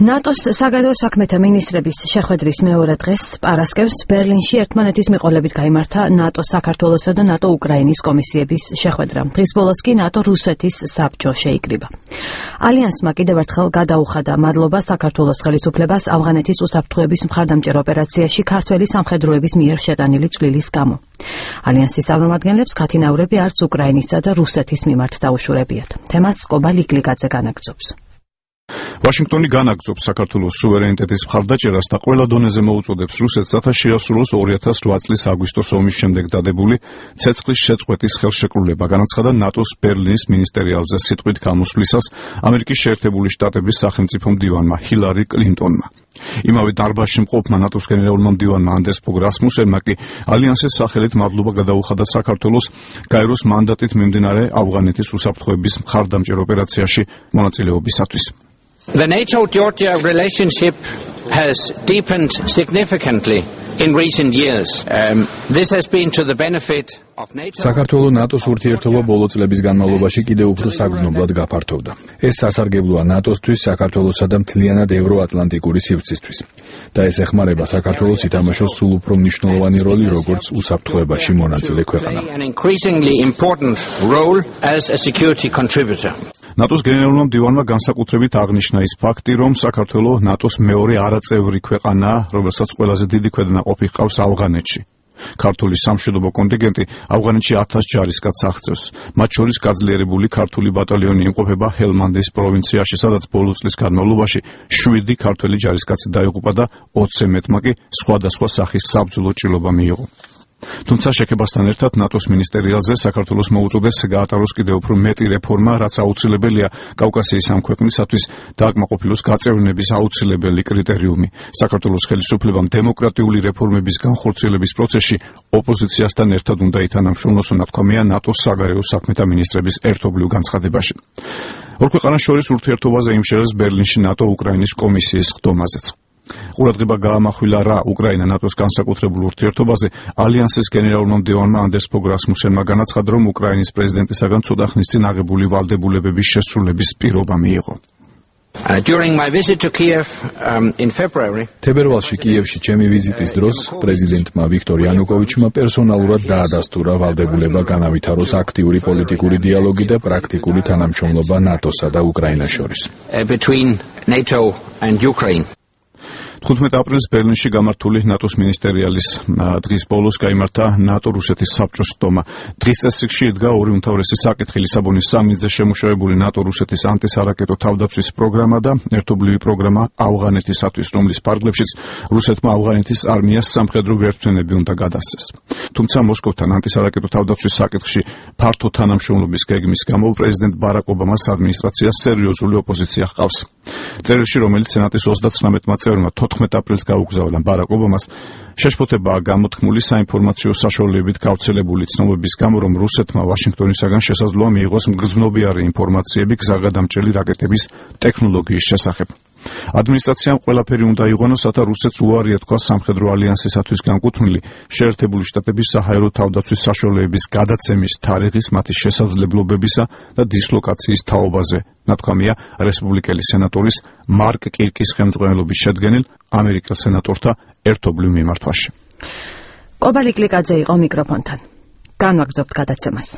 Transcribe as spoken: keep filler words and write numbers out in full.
ნატოს საგარეო საქმეთა მინისტრების შეხვედრის მეორე დღეს პარასკევს ბერლინში ერთმანეთის მიყოლებით გაიმართა ნატოს საქართველოსა და ნატო უკრაინის კომისიების შეხვედრა. დღის ბოლოს კი ნატო რუსეთის საბჭო შეიკრიბა. ალიანსმა კიდევ ერთხელ გადაუხადა მადლობა საქართველოს ხელისუფლებას ავღანეთის უსაფრთხოების მხარდამჭერ ოპერაციაში ქართველი სამხედროების მიერ შეტანილი წვლილის გამო. ალიანსის წარმომადგენლებს ქათინაურები არც უკრაინისა და რუსეთის მიმართ დაუშურებიათ. თემას კობა ლიკლიკაძე განაგრძობს. ვაშინგტონი განაგრძობს საქართველოს სუვერენიტეტის მხარდაჭერას და ყველა დონეზე მოუწოდებს რუსეთს, რათა შეასრულოს ორი ათას ოთხ წლის აგვისტოს ომის შემდეგ დადებული ცეცხლის შეწყვეტის ხელშეკრულება, განაცხადა ნატოს ბერლინის მინისტერიალზე სიტყვით გამოსვლისას ამერიკის შეერთებული შტატების სახელმწიფო მდივანმა ჰილარი კლინტონმა. იმავე დარბაზში მყოფმა ნატოს გენერალურმა მდივანმა ანდერს ფოგ რასმუსენმა კი ალიანსის სახელით მადლობა გადაუხადა საქართველოს გაეროს მანდატით მიმდინარე ავღანეთის უსაფრთხოების მხარდამჭერ ოპერაციაში მონაწილეობისათვის. The NATO-Georgia relationship has deepened significantly in recent years. Um, this has been to the benefit of NATO. საქართველოს ნატოს ურთიერთობა ბოლო წლების განმავლობაში კიდევ უფრო საგრძნობლად გაფართოვდა. ეს სასარგებლოა ნატოსთვის, საქართველოსა და მთლიანად ევროატლანტიკური სივრცისთვის. და ეს ეხმარება საქართველოს ითამაშოს სულ უფრო მნიშვნელოვანი როლი, როგორც უსაფრთხოებაში მონაწილე ქვეყანა. An increasingly important role as a security contributor. ნატოს გენერალურმა მდივანმა განსაკუთრებით აღნიშნა ის ფაქტი, რომ საქართველოს ნატოს მეორე არაწევრი ქვეყანაა, რომელსაც ყველაზე დიდი ქვედანაყოფი ჰყავს ავღანეთში. ქართული სამშვიდობო კონტინგენტი ავღანეთში ათას ჯარისკაცს აღწევს. მათ შორის გაძლიერებული ქართული ბატალიონი იმყოფება ჰელმანდის პროვინციაში, სადაც ბოლო წლის განმავლობაში შვიდი ქართველი ჯარისკაცი დაიღუპა და ოცზე მეტმა კი სხვადასხვა სახის საბრძოლო ჭრილობა მიიღო. თუმცა შეკებასთან ერთად ნატოს მინისტერიალზე საქართველოს მოუწოდეს გაატაროს კიდევ უფრო მეტი რეფორმა, რაც აუცილებელია კავკასიის ამ ქვეყნისათვის დააკმაყოფილოს გაწევრიანების აუცილებელი კრიტერიუმი. საქართველოს ხელისუფლებამ დემოკრატიული რეფორმების განხორციელების პროცესში ოპოზიციასთან ერთად უნდა ითანამშრომლოს, ნათქვამია ნატოს საგარეო საქმეთა მინისტრების ერთობლივ განცხადებაში. ორ ქვეყანას შორის ურთიერთობაზე იმშერეს ბერლინში ნატო უკრაინის კომისიის ხდომაზეც. ყურადღება გაამახვილა რა უკრაინა ნატოს განსაკუთრებულ ურთიერთობაზე. ალიანსის გენერალურმა მდივანმა ანდერს ფოგ რასმუსენმა განაცხადა, რომ უკრაინის პრეზიდენტისაგან ცოტა ხნის წინ აღებული ვალდებულებების შესრულების პირობა მიიღო. Uh, during my visit to Kiev um, in February, თებერვალში კიევში ჩემი ვიზიტის დროს პრეზიდენტმა ვიქტორ იანუკოვიჩმა პერსონალურად დაადასტურა ვალდებულება განავითაროს აქტიური პოლიტიკური დიალოგი და პრაქტიკული თანამშრომლობა ნატოსა და უკრაინას შორის. uh, between NATO and Ukraine. თხუთმეტ აპრილს ბერლინში გამართული ნატოს მინისტერიალის დღის ბოლოს გაიმართა ნატო-რუსეთის საბჭოს ხდომა. დღის წესრიგში იდგა ორი უმთავრესი საკითხი: ლისაბონის სამიტზე შემუშავებული ნატო-რუსეთის ანტისარაკეტო თავდაცვის პროგრამა და ერთობლივი პროგრამა ავღანეთისათვის, რომლის ფარგლებშიც რუსეთმა ავღანეთის არმიას სამხედრო ვერტმფრენები უნდა გადასცეს. თუმცა მოსკოვთან ანტისარაკეტო თავდაცვის საკითხში ფართო თანამშრომლობის გეგმის გამო პრეზიდენტ ბარაკ ობამას ადმინისტრაციას სერიოზული ოპოზიცია ჰყავს. წერილში, რომელიც სენატის ოცდათვრამეტმა წევრმა თოთხმეტ აპრილს გაუგზავნა ბარაკ ობამას, შეშფოთებაა გამოთქმული საინფორმაციო საშუალებით გავრცელებული ცნობების გამო, რომ რუსეთმა ვაშინგტონისაგან შესაძლოა მიიღოს მგრძნობიარე ინფორმაციები გზაგადამჭრელი რაკეტების ტექნოლოგიის შესახებ. ადმინისტრაციამ ყველაფერი უნდა იღონოს, რათა რუსეთს უარი ეთქვა სამხედრო ალიანსისათვის განკუთვნილი შეერთებული შტატების საჰაერო თავდაცვის საშუალებების გადაცემის თარიღის, მათი შესაძლებლობებისა და დისლოკაციის თაობაზე, ნათქვამია რესპუბლიკელი სენატორის მარკ კირკის ხელმძღვანელობის შედგენილ ამერიკელ სენატორთა ერთობლივ მიმართვაში. კობა ლიკლიკაძე იყო მიკროფონთან. განვაგრძობთ გადაცემას.